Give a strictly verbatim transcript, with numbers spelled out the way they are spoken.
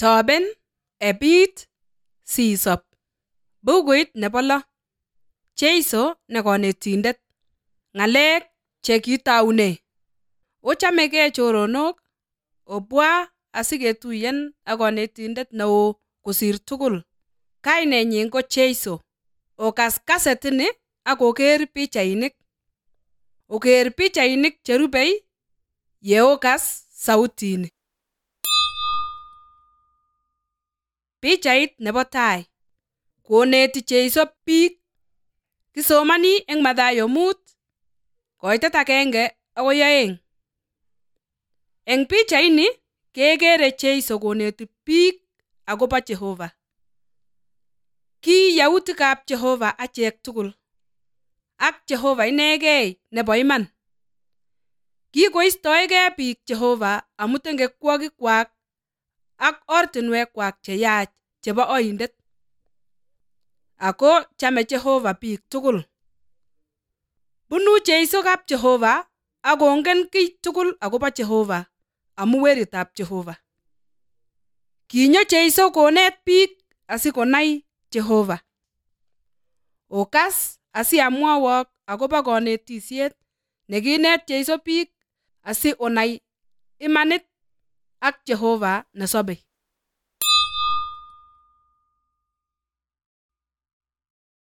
Toben, ebit, sisop. Bukuit nebo lo. Jeiso ne konetindet. Ng'alek che kitaune. Ochamegei choronok, obwa asiketuyen ak konetindet neo kosir tugul. Kainenyin ko Jeiso. Okas kasetini ak oker pichainik. Oker pichainik cherubei ye okas sautini. Pichait nebo tai. Koneti Jeiso biik. Kisomani eng Mathayo mut, koitet agenge akoi oeng. Eng pichaini kekere Jeiso koneti biik akobo Jehova. Ki yautikab Jehova achek tugul. Ak Jehova inegei nebo iman. Kikoistoegei biik Jehova amu tengekwokikwak ak ortinwekwak cheyach chebo oindet. Ako chame Jehova biik tugul. Bunu Jeiso kap Jehova ak kongen kiy tugul akobo Jehova amu weritab Jehova. Kinyo Jeiso konet biik asikonai Jehova. Okas asiamwowok akobo konetisiet nekinet Jeiso biik asi onai imanit ak Jehova nesobei.